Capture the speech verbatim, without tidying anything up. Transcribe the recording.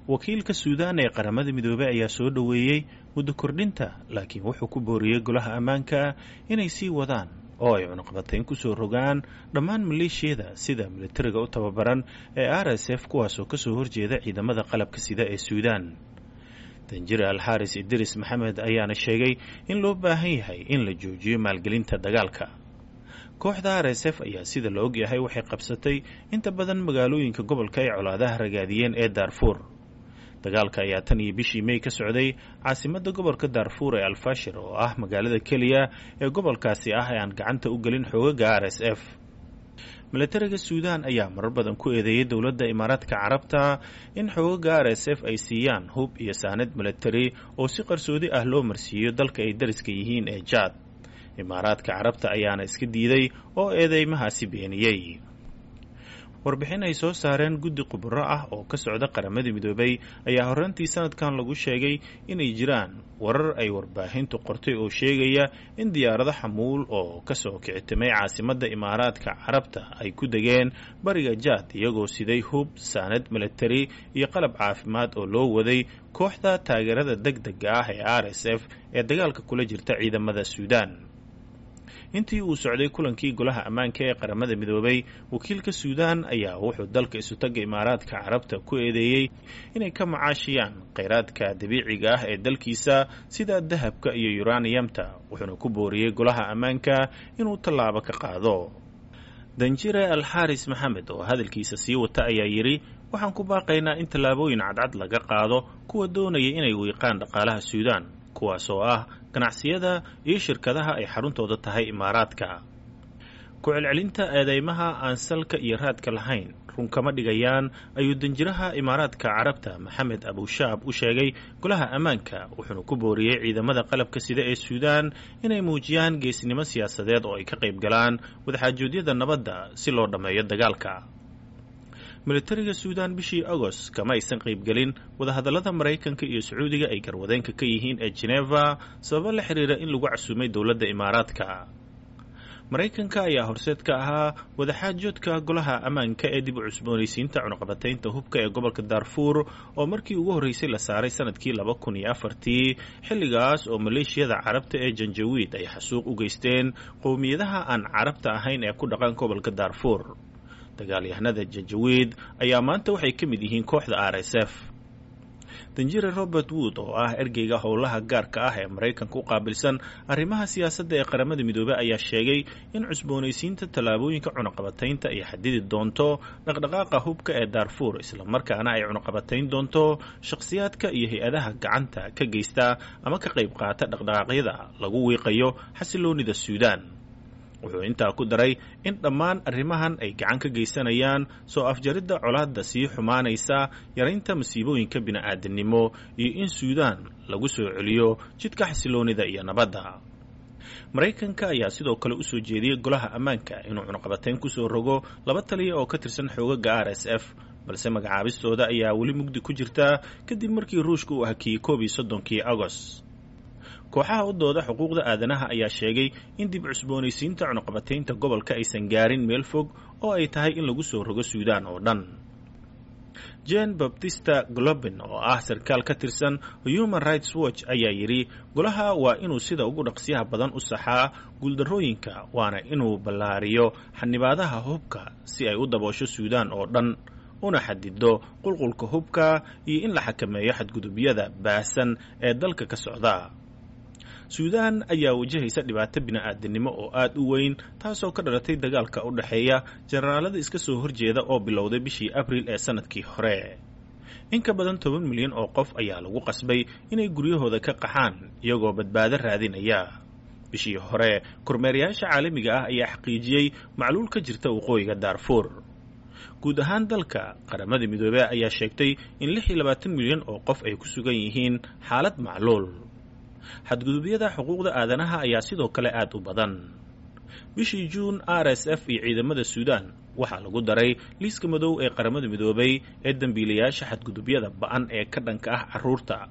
Wakiilka Suudaan ee Qaramada Midoobey ayaa soo dhoweeyey muddo kordhinta, laakiin wuxuu ku booriyey golaha ammaanka inay sii wadaan oo ay cunaqabatayn ku soo rogaan dhammaan maleeshiyada sida militariga u tababaran ee R S F, kuwaasoo kasoo horjeeda ciidamada qalabka sida ee Suudaan. Danjire Alxaaris Idris Maxamed ayaana sheegay in loo baahan yahay in la joojiyo maalgelinta dagaalka. Kooxda R S F ayaa sida la ogyahay waxay qabsatay inta badan magaalooyinka gobolka ay colaadaha ragaadiyeen ee Daarfuur. Dagaalka ayaa tan iyo bishii May ka socday caasimadda gobolka Daarfuur ee Alfashir, oo ah magaalada keliya ee gobolkaasi ah ee aan gacanta u gelin xoogaga R S F. Militariga Suudaan ayaa marar badan ku eedeeyay dowladda Imaaraadka Carabta in xoogaga R S F ay siiyaan hub iyo saanad militari oo si qarsoodi ah loo marsiiyo dalka ay dariska yihiin ee Jaad. Imaaraadka Carabta ayaana iska diiday oo eedeymahaasi beeniyey. Warbixin ay soo saareen guddi khubaro ah oo ka socda Qaramada Midoobay ayaa horraantii sanadkan lagu sheegay inay jiraan warar ay warbaahintu qortay oo sheegaya in diyaarado xamuul oo ka soo kicitimay caasimadda Imaaraadka Carabta ay ku degeen bariga Jaad, iyagoo siday hub, saanad militari iyo qalab caafimaad oo loo waday kooxda taageerada degdega ah ee R S F ee dagaalka kula jirta ciidamada Suudaan. Intii uu socday kulankii golaha ammaanka ee Qaramada Midoobay, wakiilka Suudaan ayaa wuxuu dalka isutagga Imaaraadka Carabta ku eedeeyey inay ka macaashiyaan kheyraadka dabiiciga ah ee dalkiisa sida dahabka iyo yuraniyamta, wuxuuna ku booriyey golaha ammaanka inuu tallaabo ka qaado. Danjire Alxaaris Maxamed oo hadalkiisa sii wata ayaa yidhi, waxaan ku baaqaynaa in tallaabooyin cadcad laga qaado kuwa doonaya inay wiiqaan dhaqaalaha Suudaan, kuwaas oo ah ganacsiyada iyo shirkadaha ay xaruntooda tahay Imaaraadka. Ku celcelinta eedeymaha aan salka iyo raadka lahayn run kama dhigayaan, ayuu danjiraha Imaaraadka Carabta Maxamed Abushaab u sheegay golaha ammaanka, wuxuuna ku booriyey ciidamada qalabka sida ee Suudaan inay muujiyaan geesnimo siyaasadeed oo ay ka qayb galaan wadaxaajoodyada nabadda si loo dhammeeyo dagaalka. Militariga Suudaan bishii Agost kama aysan qaybgelin wadahadallada Maraykanka iyo Sacuudiga ay garwadeenka ka yihiin ee Geneva, sababo la xiriira in lagu casuumay dowladda Imaaraadka. Maraykanka ayaa horseed ka ahaa wadaxaajoodka golaha ammaanka ee dib u cusboonaysiinta cunaqabataynta hubka ee gobolka Daarfuur, oo markii ugu horreysay la saaray sanadkii laba kun iyo afartii, xilligaas oo maleeshiyada Carabta ee Janjawiid ay xasuuq u geysteen qowmiyadaha aan Carabta ahayn ee ku dhaqan gobolka Daarfuur. Dagaalyahanada Janjawiid ayaa maanta waxay ka mid yihiin kooxda R S F. Danjire Robert Wood oo ah ergeyga howlaha gaarka ah ee Maraykanka u qaabilsan arrimaha siyaasadda ee Qaramada Midoobey ayaa sheegay in cusboonaysiinta tallaabooyinka cunaqabataynta ay xadidi doonto dhaqdhaqaaqa hubka ee Daarfuur, islamarkaana ay cunaqabatayn doonto shakhsiyaadka iyo hay-adaha gacanta ka geysta ama ka qayb qaata dhaqdhaqaaqyada lagu wiiqayo xasiloonida Suudaan. Wuxuu intaa ku daray in dhammaan arrimahan ay gacan ka geysanayaan soo afjaridda colaadda sii xumaanaysa, yaraynta masiibooyinka bini'aadanimo iyo in Suudaan lagu soo celiyo jidka xasiloonida iyo nabadda. Maraykanka ayaa sidoo kale u soo jeediyey golaha ammaanka inuu cunaqabatayn ku soo rogo laba taliya oo ka tirsan xoogaga R S F, balse magacaabistooda ayaa weli mugdi ku jirta kadib markii Ruushka uu hakiyey koob iyo soddonkii Agost. Kooxaha u dooda xuquuqda aadanaha ayaa sheegay in dib cusboonaysiinta cunaqabataynta gobolka aysan gaarin meel fog oo ay tahay in lagu soo rogo Suudaan oo dhan. Jean Baptista Globin oo ah sarkaal ka tirsan Human Rights Watch ayaa yidhi, golaha waa inuu sida ugu dhaqsiyaha badan u saxaa guuldarrooyinka, waana inuu ballaariyo xanibaadaha hubka si ay u daboosho Suudaan oo dhan, una xadido qulqulka hubka iyo in la xakameeyo xadgudubyada baahsan ee dalka ka socda. Suudaan ayaa wajahaysa dhibaato bini'aadanimo oo aad u weyn, taasoo ka dhalatay dagaalka u dhexeeya generaalada iska soo horjeeda oo bilowday bishii Abriil ee sanadkii hore. In ka badan toban milyan oo qof ayaa lagu qasbay inay guryahooda ka qaxaan iyagoo badbaado raadinaya. Bishii hore, kormeerayaasha caalamiga ah ayaa xaqiijiyey macluul ka jirta waqooyiga Daarfuur. Guud ahaan dalka, Qaramada Midoobey ayaa sheegtay in lix iyo labaatan milyan oo qof ay ku sugan yihiin xaalad macluul. Xadgudubyada xuquuqda aadanaha ayaa sidoo kale aad u badan. Bishii Juun, R S F iyo ciidamada Suudaan waxaa lagu daray liiska madow ee Qaramada Midoobay ee dambiilayaasha xadgudubyada ba'an ee ka dhanka ah carruurta,